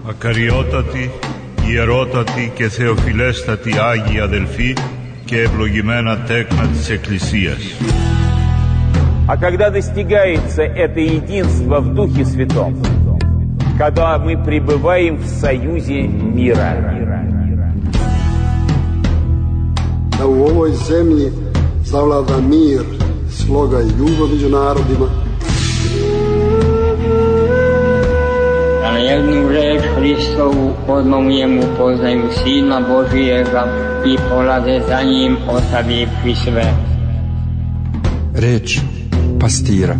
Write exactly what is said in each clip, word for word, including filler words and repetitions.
Ακαριότατοι, ιερότατοι και θεοφιλέστατοι Άγιοι αδελφοί και ευλογημένα τέκνα της Εκκλησίας. А когда достигается это единство в Духе Святом, когда мы пребываем в союзе мира. Da u ovoj zemlji zavlada mir, sloga i ljubav među narodima. Da na jednu reč Hristovu odmomujemo poznaju Sina Božijega i polaze za njim ostavivši sve. Reč pastira.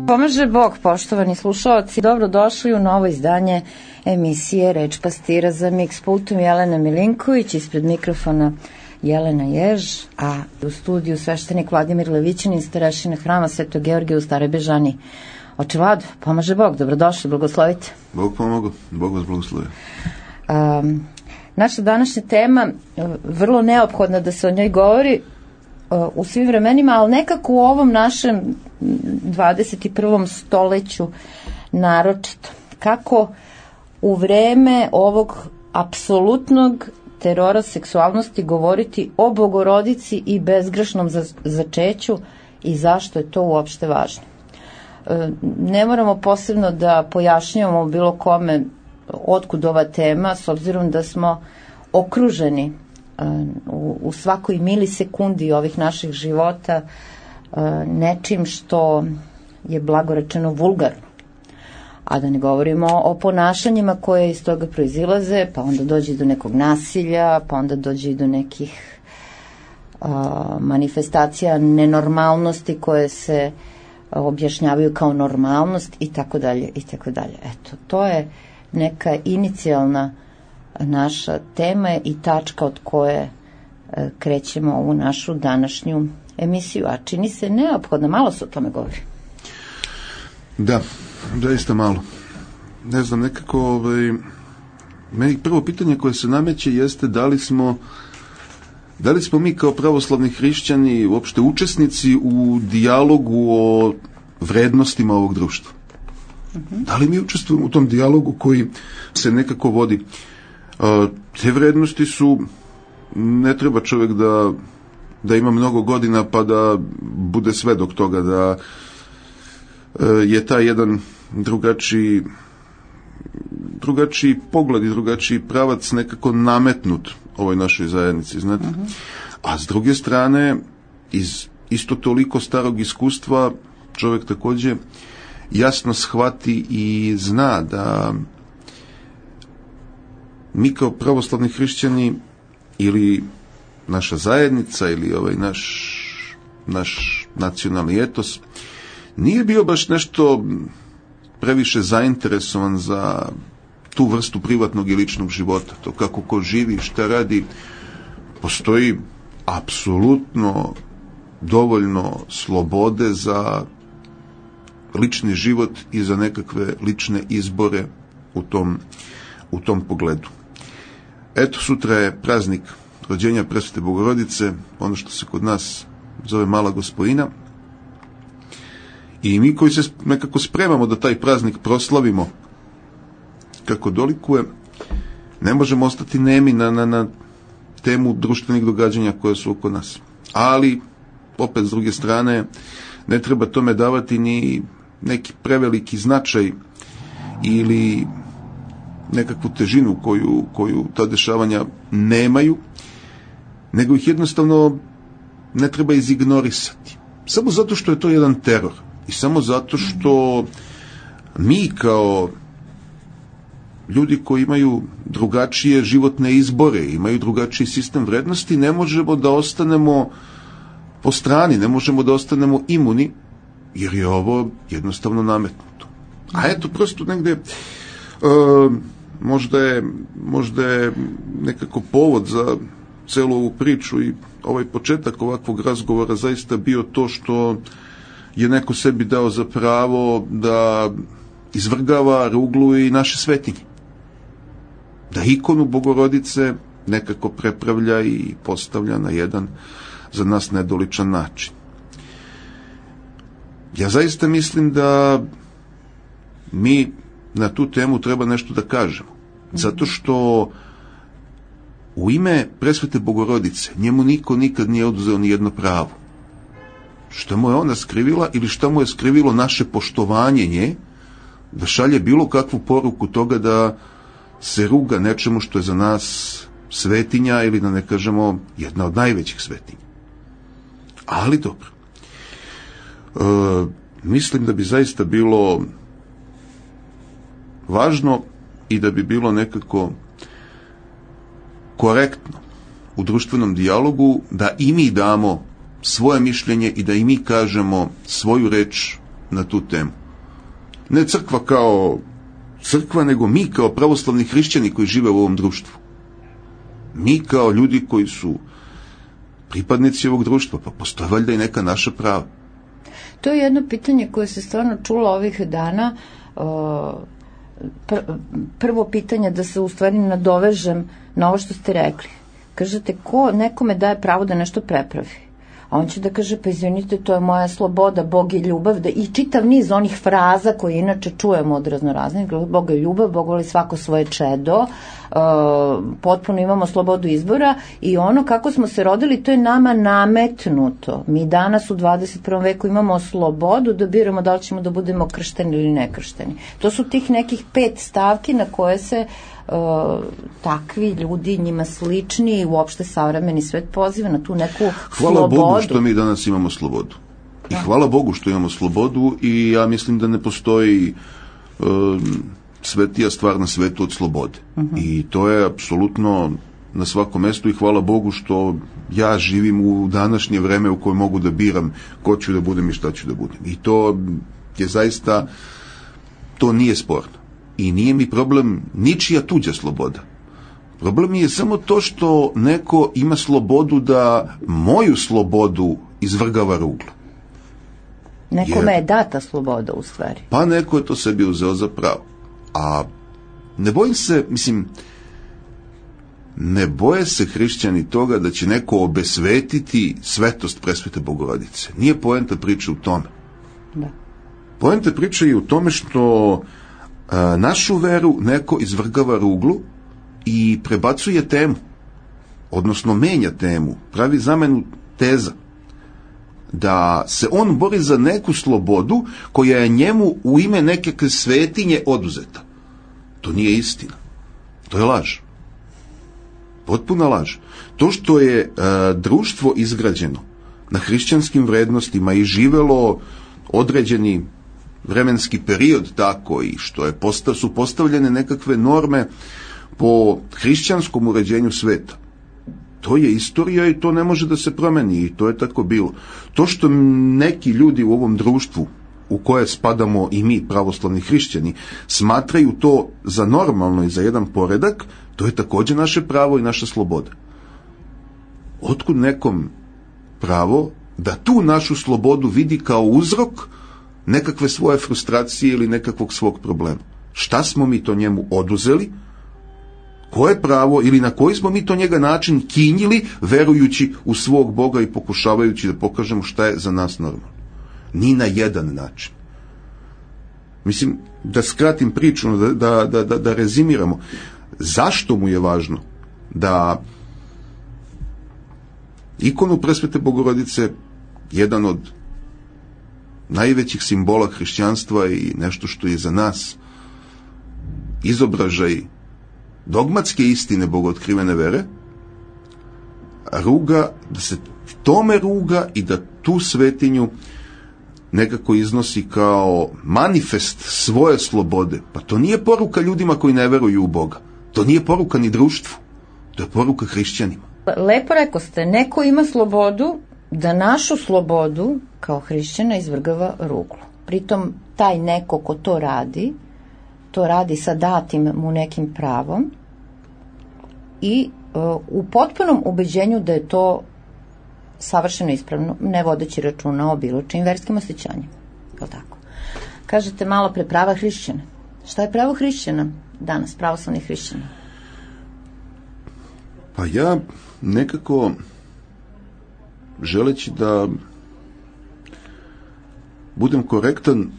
Pomaže Bog, poštovani slušalci, dobrodošli u novo izdanje emisije Reč pastira. Za Mix pultom Jelena Milinković, ispred mikrofona Jelena Jež, a u studiju sveštenik Vladimir Levićanin, starešina hrama Svetog Georgija u Staroj Bežani. Oče Vlado, pomaže Bog, dobrodošli, blagoslovite. Bog pomogu, Bog vas blagoslovi. Um, naša današnja tema, vrlo neophodna da se o njoj govori u svim vremenima, ali nekako u ovom našem dvadeset i prvom stoleću naročito. Kako u vreme ovog apsolutnog terora seksualnosti govoriti o Bogorodici i bezgrešnom začeću i zašto je to uopšte važno. Ne moramo posebno da pojašnjavamo bilo kome otkud ova tema, s obzirom da smo okruženi u, u svakoj milisekundi ovih naših života nečim što je blagorečeno vulgarno. A da ne govorimo o ponašanjima koje iz toga proizilaze, pa onda dođe do nekog nasilja, pa onda dođe do nekih a, manifestacija nenormalnosti koje se objašnjavaju kao normalnost i tako dalje i tako dalje. Eto, to je neka inicijalna naša tema i tačka od koje e, krećemo ovu našu današnju emisiju, a čini se neophodno, malo se o tome govori. Da, zaista malo. Ne znam, nekako ovaj, meni prvo pitanje koje se nameće jeste da li smo da li smo mi kao pravoslavni hrišćani uopšte učesnici u dijalogu o vrednostima ovog društva. Uh-huh. Da li mi učestvujemo u tom dijalogu koji se nekako vodi? Uh, te vrednosti su, ne treba čovjek da da ima mnogo godina pa da bude svedok toga da je taj jedan drugačiji drugačiji pogled i drugačiji pravac nekako nametnut ovoj našoj zajednici, znate. Uh-huh. A s druge strane, iz isto toliko starog iskustva čovjek također jasno shvati i zna da mi kao pravoslavni hrišćani ili naša zajednica ili ovaj naš naš nacionalni etos nije bio baš nešto previše zainteresovan za tu vrstu privatnog i ličnog života. To kako ko živi, šta radi, postoji apsolutno dovoljno slobode za lični život i za nekakve lične izbore u tom, u tom pogledu. Eto, sutra je praznik rođenja Presvete Bogorodice, ono što se kod nas zove Mala Gospojina. I mi koji se nekako spremamo da taj praznik proslavimo kako dolikuje, ne možemo ostati nemi na, na, na temu društvenih događanja koje su oko nas. Ali, opet s druge strane, ne treba tome davati ni neki preveliki značaj ili nekakvu težinu koju, koju ta dešavanja nemaju, nego ih jednostavno ne treba izignorisati. Samo zato što je to jedan teror. I samo zato što mi kao ljudi koji imaju drugačije životne izbore, imaju drugačiji sistem vrednosti, ne možemo da ostanemo po strani, ne možemo da ostanemo imuni, jer je ovo jednostavno nametnuto. A eto, prosto negde uh, možda je, možda je nekako povod za celu ovu priču i ovaj početak ovakvog razgovora zaista bio to što je neko sebi dao za pravo da izvrgava ruglu i naše svetinje. da ikonu Bogorodice nekako prepravlja i postavlja na jedan za nas nedoličan način. Ja zaista mislim da mi na tu temu treba nešto da kažemo. Zato što u ime Presvete Bogorodice njemu niko nikad nije oduzeo ni jedno pravo. Šta mu je ona skrivila ili šta mu je skrivilo naše poštovanje nje, da šalje bilo kakvu poruku toga da se ruga nečemu što je za nas svetinja ili da ne kažemo jedna od najvećih svetinja. Ali dobro. E, mislim da bi zaista bilo važno i da bi bilo nekako korektno u društvenom dijalogu da i mi damo svoje mišljenje i da i mi kažemo svoju reč na tu temu. Ne crkva kao crkva, nego mi kao pravoslavni hrišćani koji žive u ovom društvu. Mi kao ljudi koji su pripadnici ovog društva, pa postoje valjda i neka naša prava. To je jedno pitanje koje se stvarno čulo ovih dana. Prvo pitanje, da se u stvari nadovežem na ovo što ste rekli. Kažete, ko nekome daje pravo da nešto prepravi? A on će da kaže, pa izvinite, to je moja sloboda, Bog je ljubav, da, i čitav niz onih fraza koje inače čujemo od raznoraznih, Bog je ljubav, Bog voli svako svoje čedo, uh, potpuno imamo slobodu izbora i ono kako smo se rodili, to je nama nametnuto. Mi danas u dvadeset prvom veku imamo slobodu da biramo da li ćemo da budemo kršteni ili nekršteni. To su tih nekih pet stavki na koje se Uh, takvi ljudi, njima slični, uopšte savremeni svet poziva na tu neku hvala slobodu. Hvala Bogu što mi danas imamo slobodu. I da. Hvala Bogu što imamo slobodu i ja mislim da ne postoji um, svetija stvar na svetu od slobode. Uh-huh. I to je apsolutno na svakom mestu i hvala Bogu što ja živim u današnje vreme u kojem mogu da biram ko ću da budem i šta ću da budem. I to je zaista, to nije sporno. I nije mi problem ničija tuđa sloboda. Problem je samo to što neko ima slobodu da moju slobodu izvrgava ruglu. Nekome je data sloboda u stvari. Pa neko je to sebi uzeo za pravo. A ne bojim se, mislim, ne boje se hrišćani toga da će neko obesvetiti svetost Presvete Bogorodice. Nije poenta priče u tome. Da. Poenta priče je u tome što a, našu veru neko izvrgava ruglu i prebacuje temu, odnosno menja temu, pravi zamenu teza, da se on bori za neku slobodu koja je njemu u ime neke svetinje oduzeta. To nije istina. To je laž. Potpuna laž. To što je e, društvo izgrađeno na hrišćanskim vrednostima i živelo određeni vremenski period tako i što je postav, su postavljene nekakve norme po hrišćanskom uređenju sveta. To je istorija i to ne može da se promeni i to je tako bilo. To što neki ljudi u ovom društvu u koje spadamo i mi, pravoslavni hrišćani, smatraju to za normalno i za jedan poredak, to je također naše pravo i naša sloboda. Otkud nekom pravo da tu našu slobodu vidi kao uzrok nekakve svoje frustracije ili nekakvog svog problema? Šta smo mi to njemu oduzeli? Koje pravo ili na koji smo mi to njega način kinjili verujući u svog Boga i pokušavajući da pokažemo šta je za nas normalno? Ni na jedan način. Mislim, da skratim priču, da, da, da, da, da rezimiramo. Zašto mu je važno da ikonu Presvete Bogorodice, jedan od najvećih simbola hrišćanstva i nešto što je za nas izobražaj dogmatske istine bogootkrivene vere, ruga, da se tome ruga i da tu svetinju nekako iznosi kao manifest svoje slobode. Pa to nije poruka ljudima koji ne veruju u Boga. To nije poruka ni društvu. To je poruka hrišćanima. Lepo rekao ste, neko ima slobodu da našu slobodu kao hrišćana izvrgava ruglu. Pritom taj neko ko to radi, to radi sa datim mu nekim pravom i uh, u potpunom ubeđenju da je to savršeno ispravno, ne vodeći računa o bilo čim verskim osjećanjima. Je li tako? Kažete malo pre prava hrišćana. Šta je pravo hrišćana danas, pravoslavnih hrišćana? Pa ja nekako, želeći da budem korektan,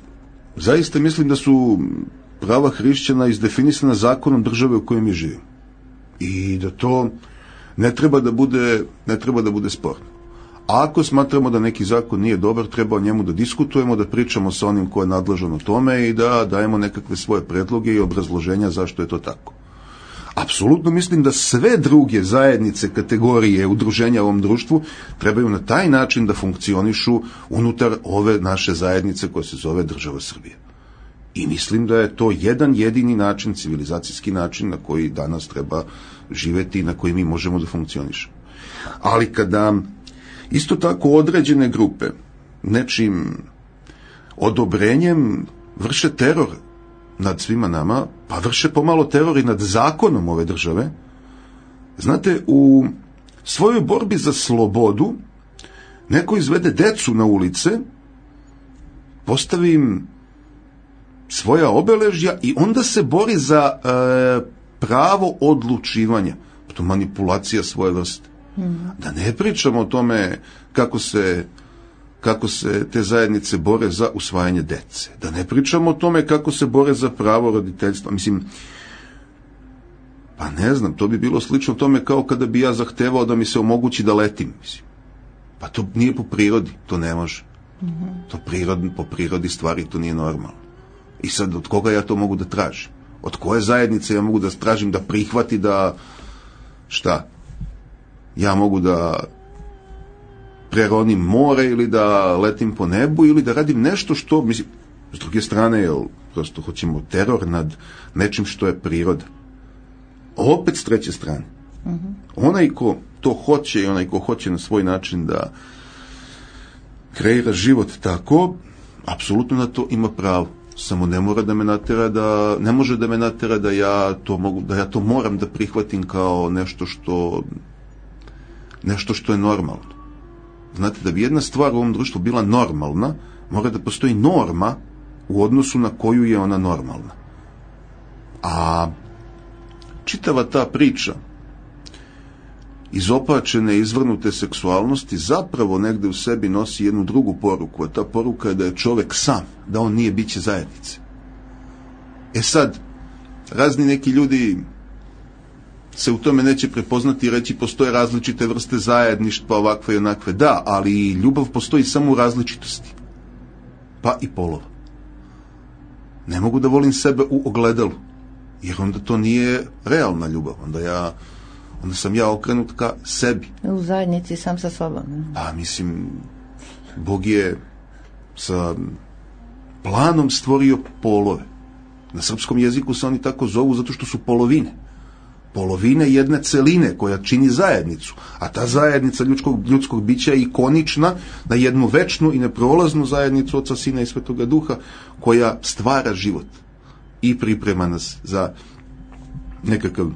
zaista mislim da su prava hrišćana izdefinisana zakonom države u kojoj mi živimo. I da to ne treba da bude, ne treba da bude sporno. A ako smatramo da neki zakon nije dobar, treba o njemu da diskutujemo, da pričamo sa onim ko je nadležan o tome i da dajemo nekakve svoje predloge i obrazloženja zašto je to tako. Apsolutno mislim da sve druge zajednice, kategorije, udruženja u ovom društvu trebaju na taj način da funkcionišu unutar ove naše zajednice koja se zove država Srbije. I mislim da je to jedan jedini način, civilizacijski način na koji danas treba živeti i na koji mi možemo da funkcionišemo. Ali kada isto tako određene grupe nečim odobrenjem vrše teror nad svima nama, pa vrše pomalo teror i nad zakonom ove države, znate, u svojoj borbi za slobodu neko izvede decu na ulice, postavi im svoja obeležja i onda se bori za e, pravo odlučivanja. To manipulacija svoje vrste. Mm. Da ne pričamo o tome kako se, kako se te zajednice bore za usvajanje dece. Da ne pričamo o tome kako se bore za pravo roditeljstva. Mislim, pa ne znam, to bi bilo slično tome kao kada bi ja zahtevao da mi se omogući da letim. Mislim. Pa to nije po prirodi, to ne može. Mm-hmm. To prirod, po prirodi stvari to nije normalno. I sad, od koga ja to mogu da tražim? Od koje zajednice ja mogu da tražim da prihvati da, šta? Ja mogu da preronim more ili da letim po nebu ili da radim nešto što, mislim, s druge strane, jel, prosto hoćemo teror nad nečim što je priroda. Opet s treće strane. Mm-hmm. Onaj ko to hoće i onaj ko hoće na svoj način da kreira život tako, apsolutno na to ima pravo. Samo ne mora da me natera da, ne može da me natera da ja to mogu, da ja to moram da prihvatim kao nešto što, nešto što je normalno. Znate, da bi jedna stvar u ovom društvu bila normalna, mora da postoji norma u odnosu na koju je ona normalna. A čitava ta priča izopačene, izvrnute seksualnosti zapravo negde u sebi nosi jednu drugu poruku, a ta poruka je da je čovek sam, da on nije biće zajednice. E sad, razni neki ljudi se u tome neće prepoznati i reći postoje različite vrste zajedništva, ovakve i onakve. Da, ali ljubav postoji samo u različitosti. Pa i polova. Ne mogu da volim sebe u ogledalu, jer onda to nije realna ljubav. Onda ja onda sam ja okrenut ka sebi. U zajednici sam sa sobom. Pa mislim, Bog je sa planom stvorio polove. Na srpskom jeziku se oni tako zovu zato što su polovine. Polovine jedne celine koja čini zajednicu. A ta zajednica ljudskog, ljudskog bića je ikonična na jednu večnu i neprolaznu zajednicu Oca, Sina i Svetoga Duha koja stvara život i priprema nas za nekakav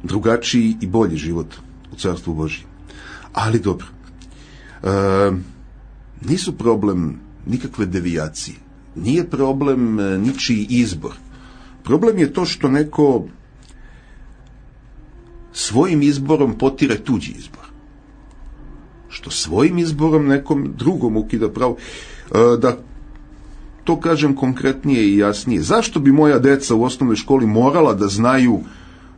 drugačiji i bolji život u Carstvu Božjem. Ali dobro, e, nisu problem nikakve devijacije, nije problem ničiji izbor. Problem je to što neko svojim izborom potire tuđi izbor. Što svojim izborom nekom drugom ukida pravo. E, da to kažem konkretnije i jasnije. Zašto bi moja deca u osnovnoj školi morala da znaju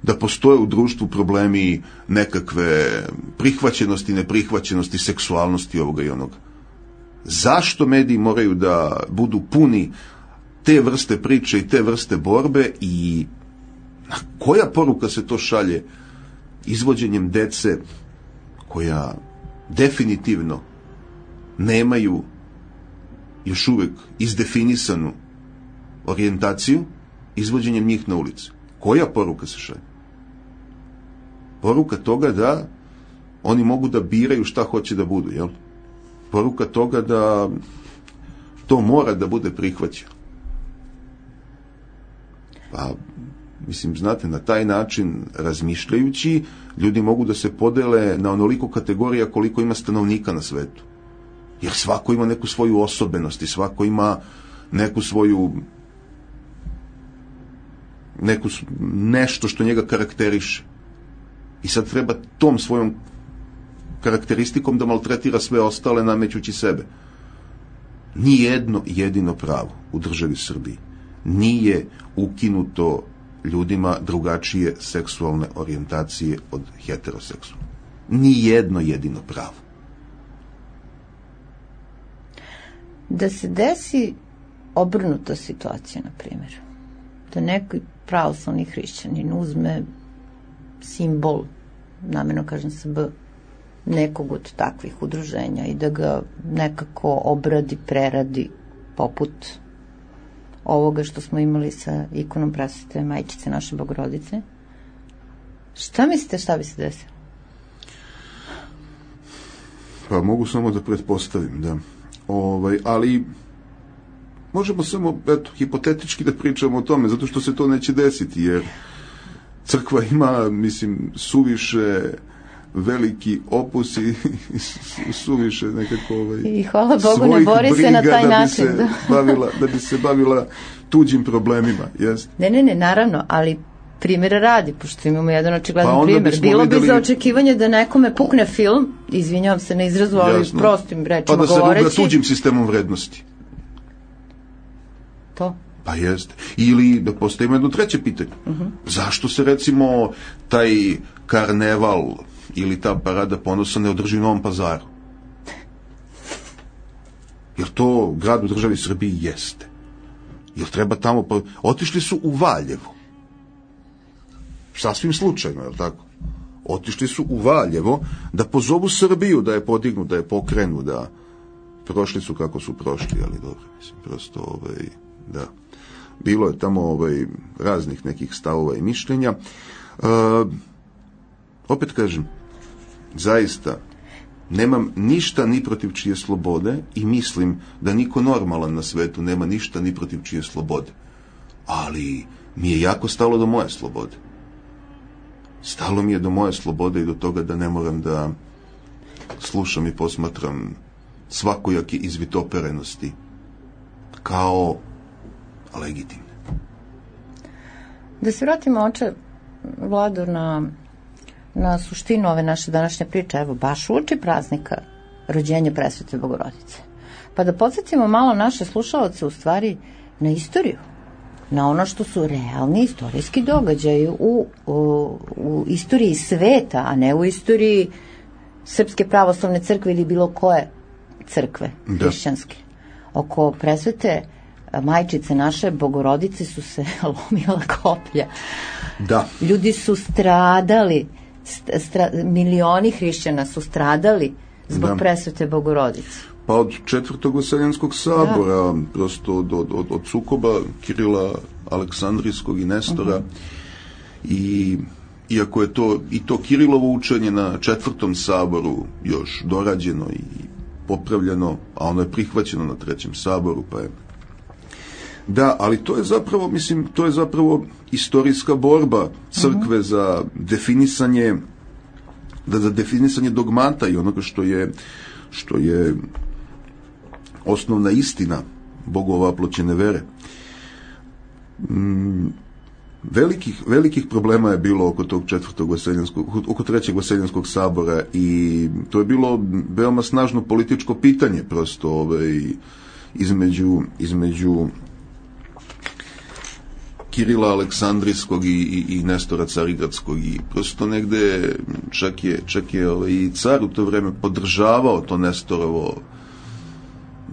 da postoje u društvu problemi nekakve prihvaćenosti, neprihvaćenosti, seksualnosti ovoga i onoga? Zašto mediji moraju da budu puni te vrste priče i te vrste borbe i na koja poruka se to šalje izvođenjem dece koja definitivno nemaju još uvek izdefinisanu orijentaciju, izvođenjem njih na ulicu? Koja poruka se šalje? Poruka toga da oni mogu da biraju šta hoće da budu, jel? Poruka toga da to mora da bude prihvaćeno. Pa, mislim, znate, na taj način razmišljajući, ljudi mogu da se podele na onoliko kategorija koliko ima stanovnika na svetu. Jer svako ima neku svoju osobenost i svako ima neku svoju neku, nešto što njega karakteriše. i sad treba tom svojom karakteristikom da maltretira sve ostale namećući sebe. Nijedno jedino pravo u državi Srbiji nije ukinuto ljudima drugačije seksualne orijentacije od heteroseksualne. Nijedno jedino pravo. Da se desi obrnuta situacija, na primjer, da neki pravoslavni hrišćanin uzme simbol, namjerno kažem S B, nekog od takvih udruženja i da ga nekako obradi, preradi poput ovoga što smo imali sa ikonom Presvete Majčice naše Bogorodice. Šta mislite šta bi se desilo? Pa mogu samo da pretpostavim, da. Ovaj, ali možemo samo, eto, hipotetički da pričamo o tome, zato što se to neće desiti, jer crkva ima, mislim, suviše veliki opus i suviše nekako ovaj, i hvala Bogu ne bori se na taj da način. Bi se bavila, da bi se bavila tuđim problemima. Jest? Ne, ne, ne, naravno, ali primjera radi, pošto imamo jedan očigledan pa primjer. Bilo videli... bi za očekivanje da nekome pukne film, izvinjavam se na izrazu, ali Jasno. prostim rečima pa da se govoreći. ruga tuđim sistemom vrednosti. To? Pa jeste. Ili da postavimo jedno treće pitanje. Uh-huh. Zašto se recimo taj karneval ili ta parada ponosa ne održi u Novom Pazaru? Jer to grad u državi Srbiji jeste. Jer treba tamo... Pa... Otišli su u Valjevo. Sasvim slučajno, je li tako? Otišli su u Valjevo da pozovu Srbiju, da je podignu, da je pokrenu, da prošli su kako su prošli, ali dobro, mislim, prosto, ovaj, da. Bilo je tamo ovaj, raznih nekih stavova i mišljenja. E, opet kažem, zaista, nemam ništa ni protiv čije slobode i mislim da niko normalan na svetu nema ništa ni protiv čije slobode. Ali mi je jako stalo do moje slobode. Stalo mi je do moje slobode i do toga da ne moram da slušam i posmatram svakojake izvitoperenosti kao legitimne. Da se vratimo, oče Vlado, na, na suštinu ove naše današnje priče, evo, baš uoči praznika rođenja Presvete Bogorodice. Pa da podsjetimo malo naše slušalce u stvari na istoriju, na ono što su realni istorijski događaji u, u, u istoriji sveta, a ne u istoriji Srpske pravoslavne crkve ili bilo koje crkve hrišćanske. Oko Presvete Majčice naše Bogorodice su se lomila koplja. Da. Ljudi su stradali, stra, milioni hrišćana su stradali zbog da. Presvete Bogorodice. Pa od četvrtog Vaseljenskog sabora, da. prosto od, od, od, od sukoba Kirila Aleksandrijskog i Nestora, uh-huh. i iako je to i to Kirilovo učenje na četvrtom saboru još dorađeno i popravljeno, a ono je prihvaćeno na trećem saboru, pa je da, ali to je zapravo, mislim, to je zapravo istorijska borba crkve uh-huh. za definisanje da za definisanje dogmata i onoga što je što je osnovna istina Bogova aploćene vere. Mm, velikih, velikih problema je bilo oko tog četvrtog vaseljenskog, oko trećeg Vaseljenskog sabora i to je bilo veoma snažno političko pitanje prosto ovaj, između, između Kirila Aleksandrijskog i, i, i Nestora Carigradskog i prosto negde čak je, čak je ovaj, i car u to vreme podržavao to Nestorovo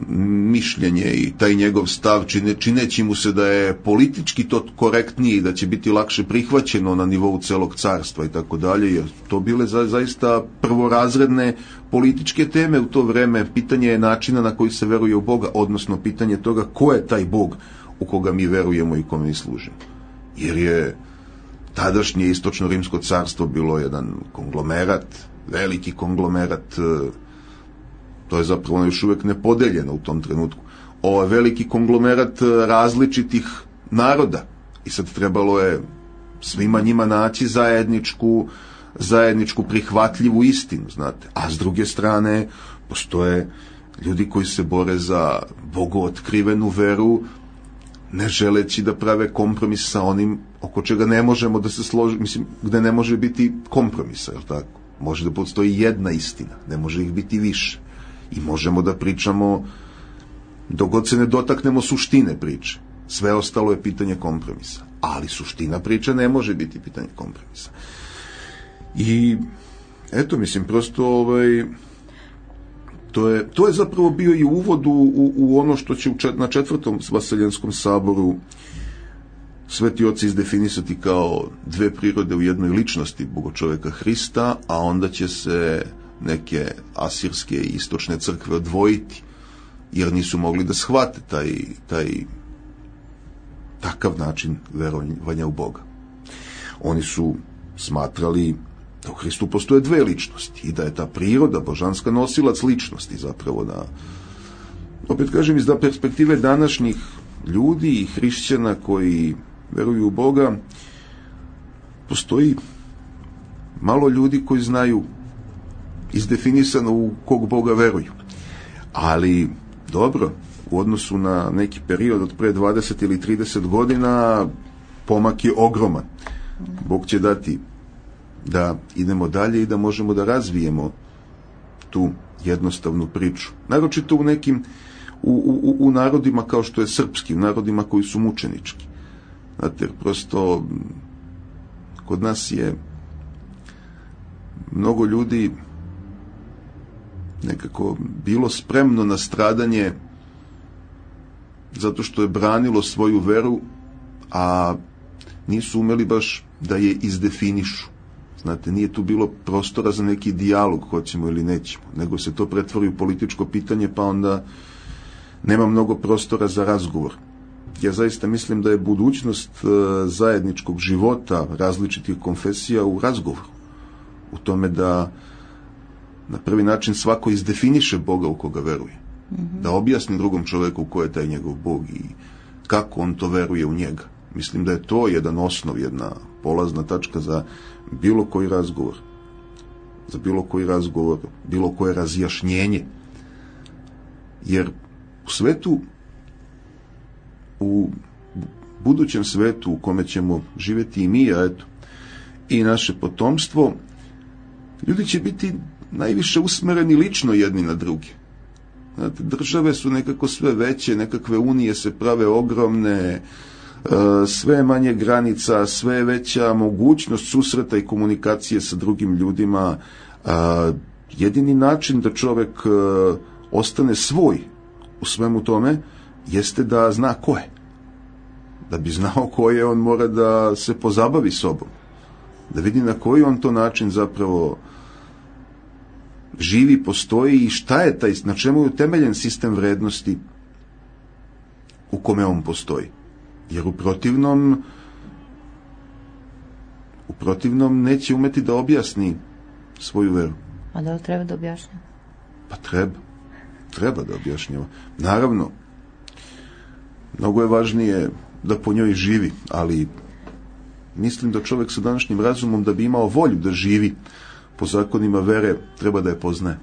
mišljenje i taj njegov stav, čine, čineći mu se da je politički to korektniji, da će biti lakše prihvaćeno na nivou celog carstva i tako dalje, jer to bile za, zaista prvorazredne političke teme u to vreme. Pitanje je načina na koji se veruje u Boga, odnosno pitanje toga ko je taj Bog u koga mi verujemo i kome mi služimo. Jer je tadašnje istočno rimsko carstvo bilo jedan konglomerat, veliki konglomerat, to je zapravo još uvek nepodeljeno u tom trenutku. Ovo je veliki konglomerat različitih naroda i sad trebalo je svima njima naći zajedničku, zajedničku prihvatljivu istinu, znate. A s druge strane postoje ljudi koji se bore za bogootkrivenu veru ne želeći da prave kompromis sa onim oko čega ne možemo da se složi, mislim, gde ne može biti kompromisa, jel tako? Može da postoji jedna istina, ne može ih biti više. I možemo da pričamo dok god se ne dotaknemo suštine priče. Sve ostalo je pitanje kompromisa. Ali suština priče ne može biti pitanje kompromisa. I eto, mislim, prosto ovaj, to je, to je zapravo bio i uvod u, u, u ono što će u čet, na četvrtom Vaseljenskom saboru sveti oci izdefinisati kao dve prirode u jednoj ličnosti bogočoveka Hrista, a onda će se neke asirske i istočne crkve odvojiti, jer nisu mogli da shvate taj, taj takav način verovanja u Boga. Oni su smatrali da u Hristu postoje dve ličnosti i da je ta priroda božanska nosilac ličnosti, zapravo da, opet kažem, iz da perspektive današnjih ljudi i hrišćana koji veruju u Boga, postoji malo ljudi koji znaju izdefinisano u kog Boga veruju. Ali dobro, u odnosu na neki period od pre dvadeset ili trideset godina pomak je ogroman. Bog će dati da idemo dalje i da možemo da razvijemo tu jednostavnu priču. Naročito u nekim u, u, u narodima kao što je srpski, u narodima koji su mučenički. Znate, prosto kod nas je mnogo ljudi nekako bilo spremno na stradanje zato što je branilo svoju veru, a nisu umeli baš da je izdefinišu. Znate, nije tu bilo prostora za neki dijalog, hoćemo ili nećemo, nego se to pretvori u političko pitanje, pa onda nema mnogo prostora za razgovor. Ja zaista mislim da je budućnost zajedničkog života različitih konfesija u razgovoru. U tome da na prvi način svako izdefiniše Boga u koga veruje. Mm-hmm. Da objasni drugom čoveku ko je taj njegov Bog i kako on to veruje u njega. Mislim da je to jedan osnov, jedna polazna tačka za bilo koji razgovor. Za bilo koji razgovor, bilo koje razjašnjenje. Jer u svetu, u budućem svetu u kome ćemo živjeti i mi, a eto, i naše potomstvo, ljudi će biti najviše usmereni lično jedni na druge. Znate, države su nekako sve veće, nekakve unije se prave ogromne, sve manje granica, sve veća mogućnost susreta i komunikacije sa drugim ljudima. Jedini način da čovjek ostane svoj u svemu tome jeste da zna ko je. Da bi znao ko je, on mora da se pozabavi sobom. Da vidi na koji on to način zapravo živi, postoji i šta je taj, na čemu je utemeljen sistem vrednosti u kome on postoji. Jer u protivnom u protivnom neće umeti da objasni svoju veru. A da li treba da objašnjava? Pa treba. Treba da objašnjava. Naravno, mnogo je važnije da po njoj živi, ali mislim da čovjek sa današnjim razumom, da bi imao volju da živi po zakonima vere, treba da je poznaje.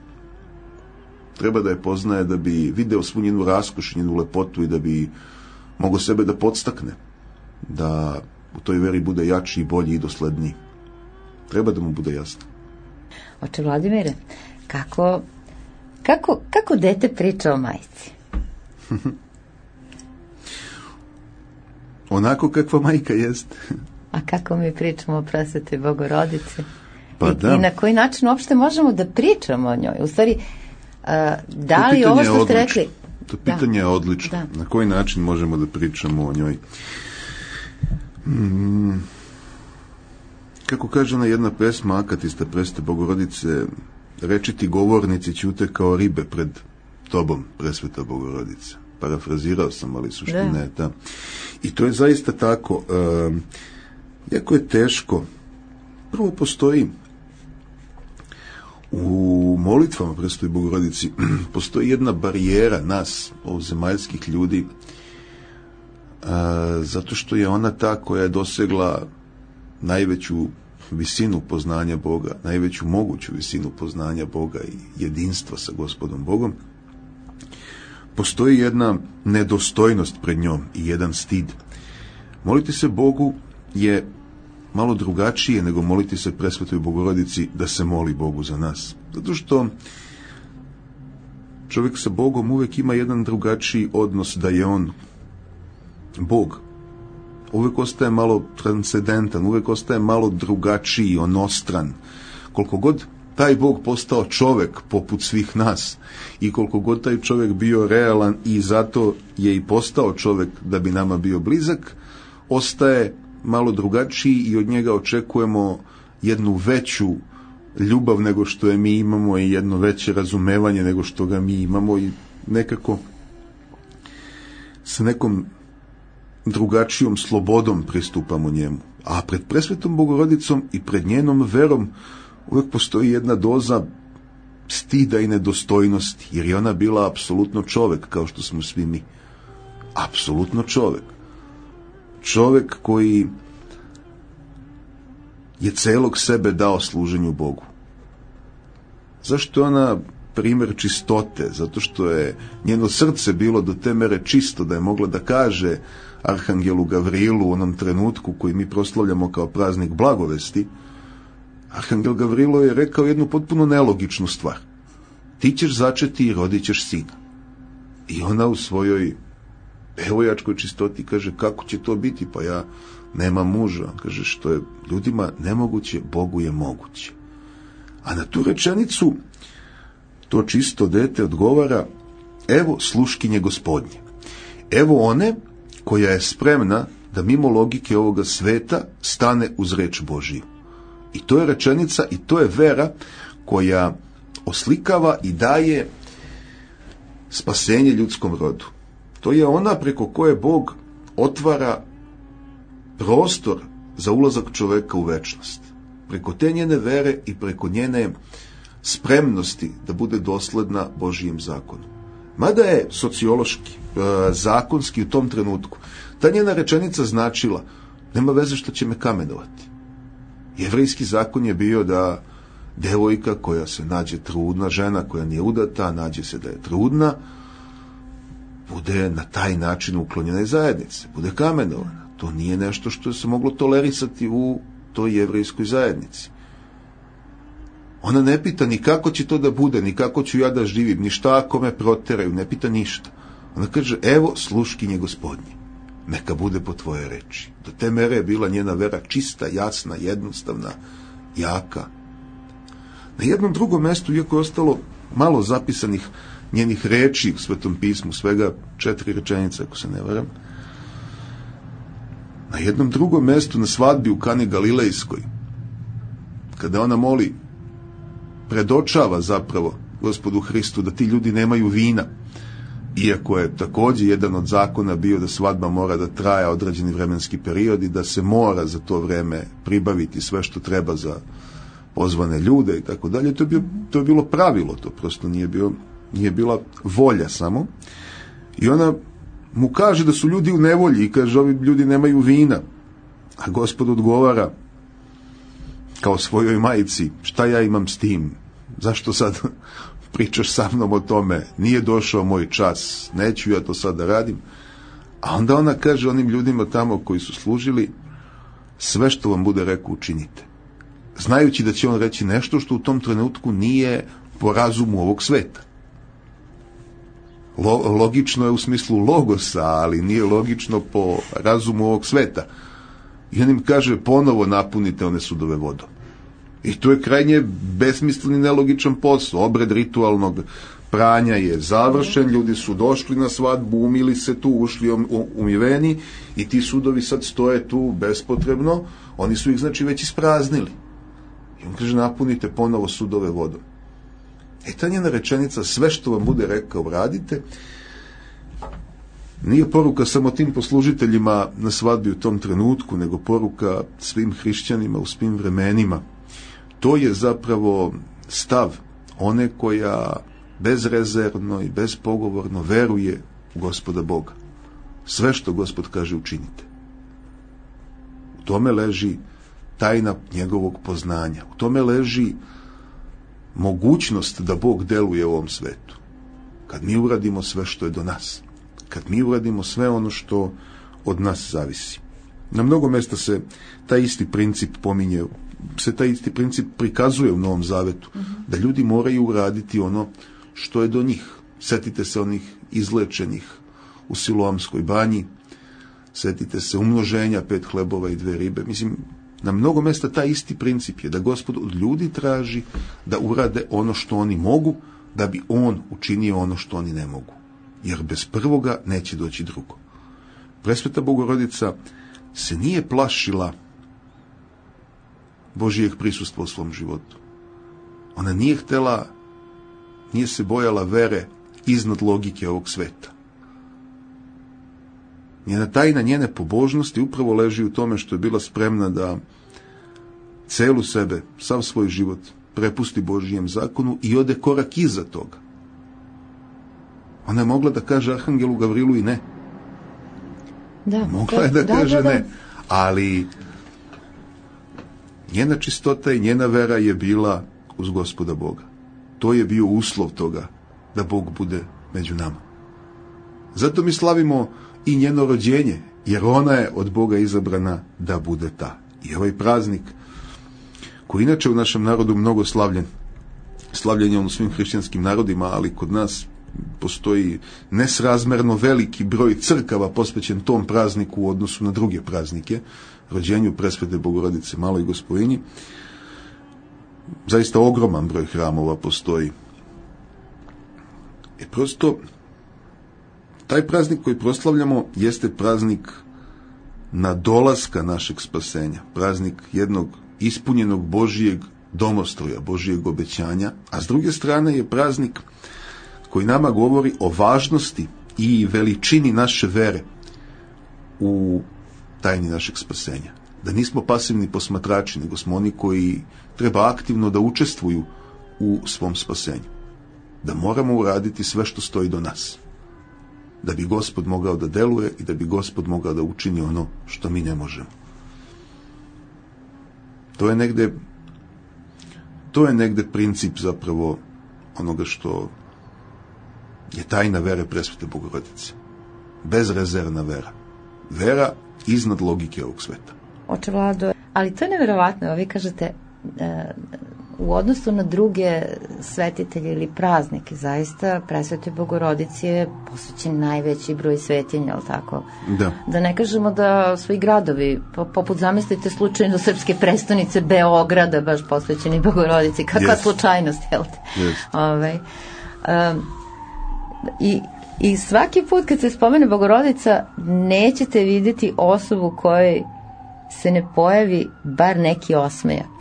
Treba da je poznaje da bi video svu njenu raskoš, njenu lepotu i da bi mogao sebe da podstakne, da u toj veri bude jači i bolji i dosledniji. Treba da mu bude jasno. Oče Vladimire, kako, kako, kako dete priča o majci? Onako kakva majka jest. A kako mi pričamo o Presvetoj Bogorodici? Pa I, da. I na koji način uopšte možemo da pričamo o njoj? U stvari, a, da li ovo što ste rekli... To pitanje da. je odlično. Da. Na koji način možemo da pričamo o njoj? Hmm. Kako kaže ona jedna pesma akatista Presvete Bogorodice, rečiti govornici ćute kao ribe pred tobom, Presveta Bogorodice. Parafrazirao sam, ali suština je ta. I to je zaista tako. E, jako je teško. Prvo postoji u molitvama Presvetoj Bogorodici postoji jedna barijera nas, ovozemaljskih ljudi, a, zato što je ona ta koja je dosegla najveću visinu poznanja Boga, najveću moguću visinu poznanja Boga i jedinstva sa Gospodom Bogom. postoji jedna nedostojnost pred njom i jedan stid. Moliti se Bogu je malo drugačije nego moliti se Presvetoj Bogorodici da se moli Bogu za nas. Zato što čovjek sa Bogom uvijek ima jedan drugačiji odnos, da je on Bog. Uvijek ostaje malo transcendentan, uvijek ostaje malo drugačiji, onostran. Koliko god taj Bog postao čovjek poput svih nas i koliko god taj čovjek bio realan i zato je i postao čovjek da bi nama bio blizak, ostaje malo drugačiji i od njega očekujemo jednu veću ljubav nego što je mi imamo i jedno veće razumevanje nego što ga mi imamo i nekako sa nekom drugačijom slobodom pristupamo njemu. A pred Presvetom Bogorodicom i pred njenom verom uvijek postoji jedna doza stida i nedostojnosti, jer je ona bila apsolutno čovjek, kao što smo svi mi. Apsolutno čovjek. Čovjek koji je celog sebe dao služenju Bogu. Zašto je ona primjer čistote? Zato što je njeno srce bilo do te mere čisto da je mogla da kaže Arhangelu Gavrilu u onom trenutku koji mi proslavljamo kao praznik blagovesti. Arhangel Gavrilo je rekao jednu potpuno nelogičnu stvar. Ti ćeš začeti i rodit ćeš sina. I ona u svojoj evojačkoj čistoti kaže, kako će to biti? Pa ja nemam muža. Kaže, što je ljudima nemoguće, Bogu je moguće. A na tu rečenicu to čisto dete odgovara, evo sluškinje Gospodnje. Evo one koja je spremna da mimo logike ovoga sveta stane uz reč Božiju. I to je rečenica i to je vera koja oslikava i daje spasenje ljudskom rodu. To je ona preko koje Bog otvara prostor za ulazak čoveka u večnost. Preko te njene vere i preko njene spremnosti da bude dosledna Božijem zakonu. Mada je sociološki, zakonski u tom trenutku ta njena rečenica značila, nema veze što će me kamenovati. Jevrejski zakon je bio da devojka koja se nađe trudna, žena koja nije udata, nađe se da je trudna, bude na taj način uklonjena iz zajednice, bude kamenovana. To nije nešto što se moglo tolerisati u toj jevrejskoj zajednici. Ona ne pita ni kako će to da bude, ni kako ću ja da živim, ni šta ako me proteraju, ne pita ništa. Ona kaže, evo sluškinje Gospodnje, neka bude po tvoje reči. Do te mere je bila njena vera čista, jasna, jednostavna, jaka. Na jednom drugom mjestu, iako je ostalo malo zapisanih njenih reči u Svetom pismu, svega četiri rečenice, ako se ne varam, na jednom drugom mjestu na svadbi u Kani Galilejskoj, kada ona moli, predočava zapravo Gospodu Hristu da ti ljudi nemaju vina, iako je također jedan od zakona bio da svadba mora da traje određeni vremenski period i da se mora za to vreme pribaviti sve što treba za pozvane ljude i tako dalje. To je bio, to je bilo pravilo, to prosto nije bio, nije bila volja samo. I ona mu kaže da su ljudi u nevolji i kaže, ovi ljudi nemaju vina. A Gospod odgovara kao svojoj majici, šta ja imam s tim? Zašto sad pričaš sa mnom o tome? Nije došao moj čas, neću ja to sad da radim. A onda ona kaže onim ljudima tamo koji su služili, sve što vam bude rekao učinite. Znajući da će on reći nešto što u tom trenutku nije po razumu ovog sveta. Logično je u smislu logosa, ali nije logično po razumu ovog sveta. I on im kaže, ponovo napunite one sudove vodom. I to je krajnje besmislen i nelogičan posao. Obred ritualnog pranja je završen, ljudi su došli na svadbu, umili se tu, ušli umiveni i ti sudovi sad stoje tu bespotrebno, oni su ih znači već ispraznili. I on kaže, napunite ponovo sudove vodom. E ta njena rečenica, sve što vam bude rekao radite, nije poruka samo tim poslužiteljima na svadbi u tom trenutku, nego poruka svim hrišćanima u svim vremenima. To je zapravo stav one koja bezrezervno i bezpogovorno veruje u Gospoda Boga. Sve što Gospod kaže učinite. U tome leži tajna njegovog poznanja. U tome leži mogućnost da Bog deluje u ovom svetu. kad mi uradimo sve što je do nas, kad mi uradimo sve ono što od nas zavisi. Na mnogo mjesta se taj isti princip pominje, se taj isti princip prikazuje u Novom Zavetu, mm-hmm. da ljudi moraju uraditi ono što je do njih. Sjetite se onih izlečenih u Siloamskoj banji, sjetite se umnoženja pet hlebova i dve ribe. Mislim, na mnogo mjesta taj isti princip je da Gospod od ljudi traži da urade ono što oni mogu, da bi on učinio ono što oni ne mogu. Jer bez prvoga neće doći drugo. Presveta Bogorodica se nije plašila Božijeg prisustva u svom životu. Ona nije htjela, nije se bojala vere iznad logike ovog sveta. Njena tajna njene pobožnosti upravo leži u tome što je bila spremna da celu sebe, sav svoj život prepusti Božijem zakonu i ode korak iza toga. Ona je mogla da kaže Arhangelu Gavrilu i ne. Da, mogla je da, da kaže da, da. ne. Ali njena čistota i njena vera je bila uz Gospoda Boga. To je bio uslov toga da Bog bude među nama. Zato mi slavimo i njeno rođenje, jer ona je od Boga izabrana da bude ta. I ovaj praznik, koji inače u našem narodu mnogo slavljen, slavljen je on u svim hrišćanskim narodima, ali kod nas postoji nesrazmerno veliki broj crkava posvećen tom prazniku u odnosu na druge praznike, rođenju Presvete Bogorodice Maloj Gospojinji. Zaista ogroman broj hramova postoji. I prosto taj praznik koji proslavljamo jeste praznik nadolaska našeg spasenja, praznik jednog ispunjenog Božijeg domostroja, Božijeg obećanja, a s druge strane je praznik koji nama govori o važnosti i veličini naše vere u tajni našeg spasenja. Da nismo pasivni posmatrači, nego smo oni koji treba aktivno da učestvuju u svom spasenju. Da moramo uraditi sve što stoji do nas. Da bi Gospod mogao da deluje i da bi Gospod mogao da učini ono što mi ne možemo. To je negde to je negde princip zapravo onoga što je tajna vere Presvete Bogorodice. Bezrezervna vera. Vera iznad logike ovog sveta. Oče Vlado, ali to je neverovatno. Vi kažete, e, u odnosu na druge svetitelje ili praznike, zaista Presvetoj Bogorodici je posvećen najveći broj svetinja, ali tako? Da. Da ne kažemo da su i gradovi, poput zamislite slučajno srpske prestonice Beograda, baš posvećeni Bogorodici. Kakva yes. slučajnost, jel te? Yes. Ovaj, um, i, I svaki put kad se spomene Bogorodica, nećete vidjeti osobu kojoj se ne pojavi bar neki osmejak.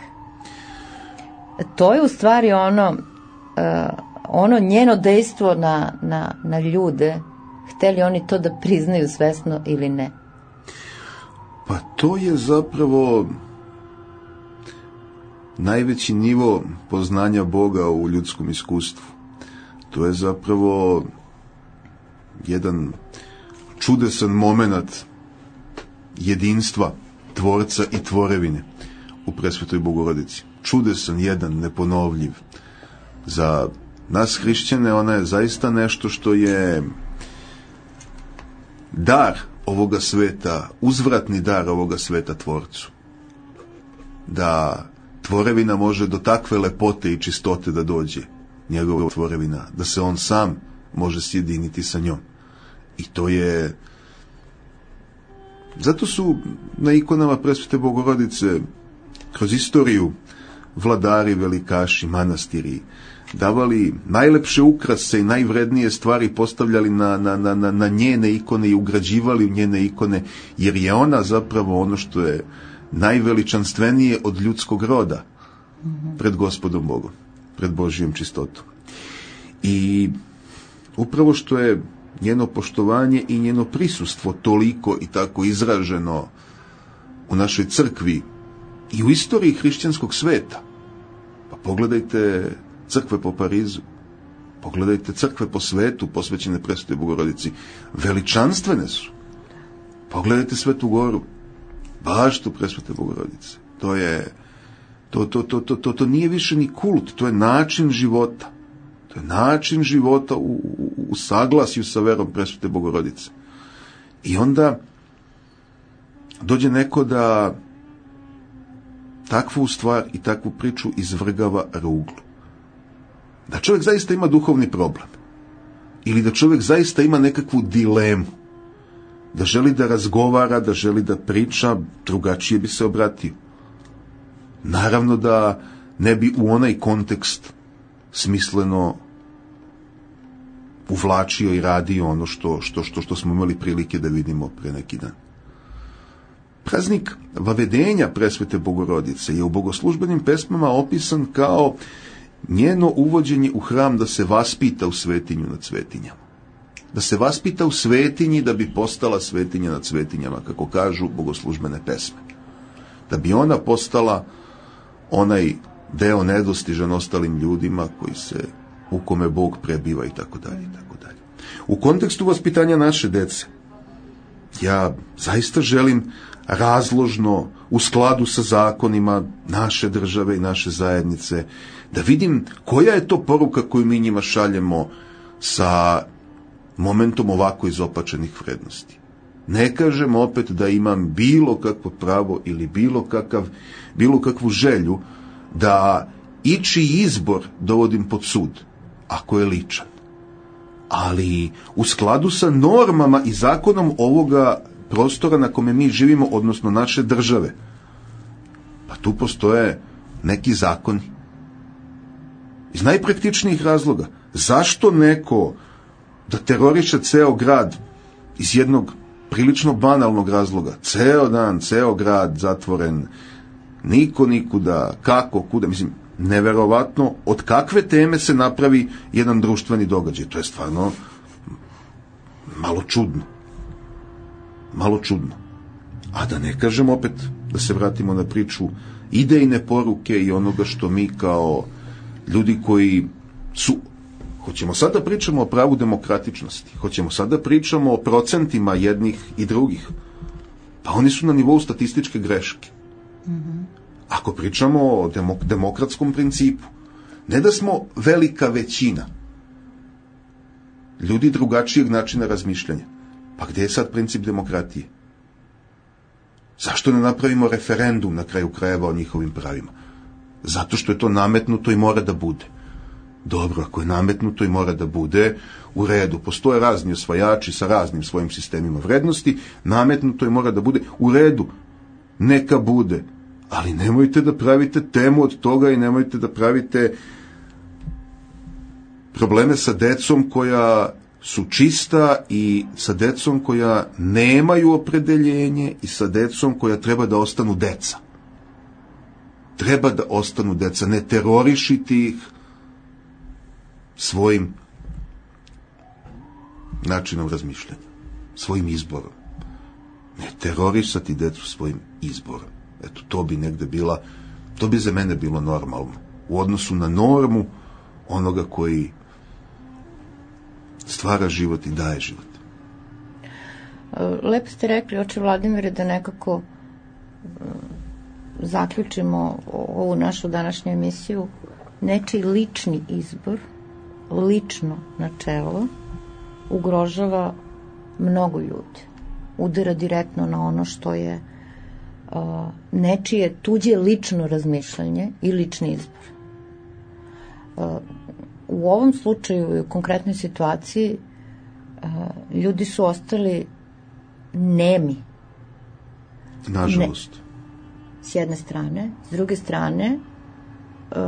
To je u stvari ono, uh, ono njeno dejstvo na, na, na ljude, hteli oni to da priznaju svesno ili ne. Pa to je zapravo najveći nivo poznanja Boga u ljudskom iskustvu. To je zapravo jedan čudesan moment jedinstva Tvorca i tvorevine u Presvetoj Bogorodici. Čudesan, jedan, neponovljiv. Za nas hrišćane ona je zaista nešto što je dar ovoga sveta, uzvratni dar ovoga sveta Tvorcu. Da tvorevina može do takve lepote i čistote da dođe, njegova tvorevina, da se on sam može sjediniti sa njom. I to je... Zato su na ikonama Presvete Bogorodice kroz istoriju vladari, velikaši, manastiri davali najlepše ukrase i najvrednije stvari, postavljali na, na, na, na njene ikone i ugrađivali u njene ikone, jer je ona zapravo ono što je najveličanstvenije od ljudskog roda pred Gospodom Bogom, pred Božijom čistotom. I upravo što je njeno poštovanje i njeno prisustvo toliko i tako izraženo u našoj crkvi i u istoriji hrišćanskog sveta. Pa pogledajte crkve po Parizu, pogledajte crkve po svetu posvećene Presvetoj Bogorodici, veličanstvene su. Pogledajte Svetu Goru, baštu Presvete Bogorodice. To je to, to, to, to, to, to nije više ni kult, to je način života. To To je način života u, u, u saglasju sa verom Presvete Bogorodice. I onda dođe neko da takvu stvar i takvu priču izvrgava ruglu. Da čovjek zaista ima duhovni problem. Ili da čovjek zaista ima nekakvu dilemu. Da želi da razgovara, da želi da priča, drugačije bi se obratio. Naravno da ne bi u onaj kontekst smisleno uvlačio i radio ono što, što, što, što smo imali prilike da vidimo pre neki dan. Praznik Vavedenja Presvete Bogorodice je u bogoslužbenim pesmama opisan kao njeno uvođenje u hram da se vaspita u svetinju nad svetinjama. Da se vaspita u svetinji da bi postala svetinja nad svetinjama, kako kažu bogoslužbene pesme. Da bi ona postala onaj deo nedostižan ostalim ljudima koji se, u kome Bog prebiva i tako dalje i tako dalje. U kontekstu vaspitanja naše dece, ja zaista želim razložno, u skladu sa zakonima naše države i naše zajednice, da vidim koja je to poruka koju mi njima šaljemo sa momentom ovako izopačenih vrednosti. Ne kažem opet da imam bilo kakvo pravo ili bilo kakav, bilo kakvu želju da ičiji izbor dovodim pod sud, ako je ličan. Ali u skladu sa normama i zakonom ovoga prostora na kome mi živimo, odnosno naše države, pa tu postoje neki zakoni. Iz najpraktičnijih razloga. Zašto neko da teroriše ceo grad iz jednog prilično banalnog razloga? Ceo dan, ceo grad zatvoren, niko nikuda, kako, kuda, mislim, neverovatno od kakve teme se napravi jedan društveni događaj. To je stvarno malo čudno. Malo čudno. A da ne kažem opet, da se vratimo na priču idejne poruke i onoga što mi kao ljudi koji su, hoćemo sada pričamo o pravu demokratičnosti, hoćemo sada pričamo o procentima jednih i drugih, pa oni su na nivou statističke greške. Mm-hmm. Ako pričamo o demok- demokratskom principu, ne da smo velika većina ljudi drugačijeg načina razmišljanja, pa gdje je sad princip demokratije? Zašto ne napravimo referendum na kraju krajeva o njihovim pravima? Zato što je to nametnuto i mora da bude. Dobro, ako je nametnuto i mora da bude, u redu. Postoje razni osvajači sa raznim svojim sistemima vrednosti, nametnuto i mora da bude, u redu. Neka bude. Ali nemojte da pravite temu od toga i nemojte da pravite probleme sa decom koja su čista i sa decom koja nemaju opredeljenje i sa decom koja treba da ostanu deca. Treba da ostanu deca, ne terorišiti ih svojim načinom razmišljanja, svojim izborom. Ne terorisati decu svojim izborom. Eto, to bi negde bila, to bi za mene bilo normalno. U odnosu na normu onoga koji stvara život i daje život. Lepo ste rekli, oče Vladimire, da nekako zaključimo ovu našu današnju emisiju. Nečiji lični izbor, lično načelo, ugrožava mnogo ljudi. Udara direktno na ono što je uh, nečije tuđe lično razmišljanje i lični izbor. Uh, u ovom slučaju i u konkretnoj situaciji uh, ljudi su ostali nemi. Nažalost. Ne, s jedne strane. S druge strane, uh,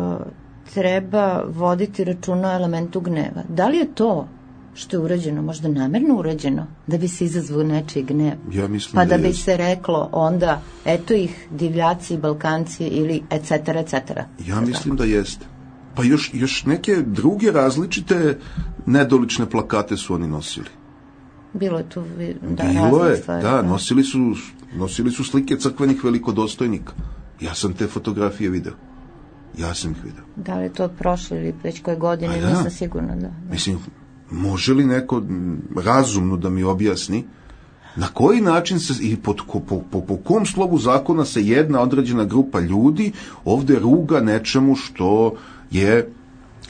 treba voditi računa o elementu gneva. Da li je to što je urađeno, možda namerno urađeno, da bi se izazvao nečiji gnev? Ja mislim pa da, da bi jest. se reklo onda, eto ih divljaci, Balkanci ili et cetera, et cetera. Ja mislim da jeste. Pa još, još neke druge različite nedolične plakate su oni nosili. Bilo je tu da, Bilo je, stvari, da, nosili su, nosili su slike crkvenih velikodostojnika. Ja sam te fotografije video. Ja sam ih video. Da li je to prošlo ili već koje godine, da. nisam sigurna. Da, da. Mislim, može li neko razumno da mi objasni na koji način se i pod, po, po, po, po kom slovu zakona se jedna određena grupa ljudi ovde ruga nečemu što je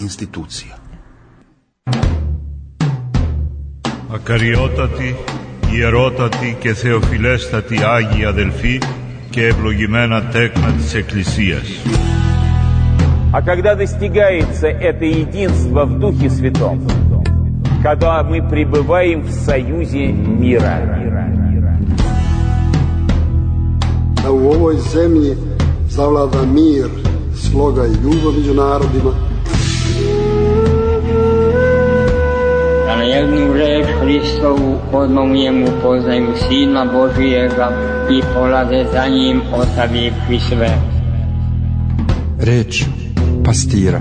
institucija. Ακαριότατοι, ιερότατοι και θεοφιλέστατοι Άγιοι αδελφοί και ευλογημένα τέκνα της Εκκλησίας. А когда достигается это единство в Духе Святом, когда мы пребываем в союзе мира. Da u ovoj zemlji zavlada mir, sloga i ljubav među narodima. Da na jednu reč Hristovu odmah njemu poznaju Sina Božijega i polaze za njim ostavivši sve. Reč pastira.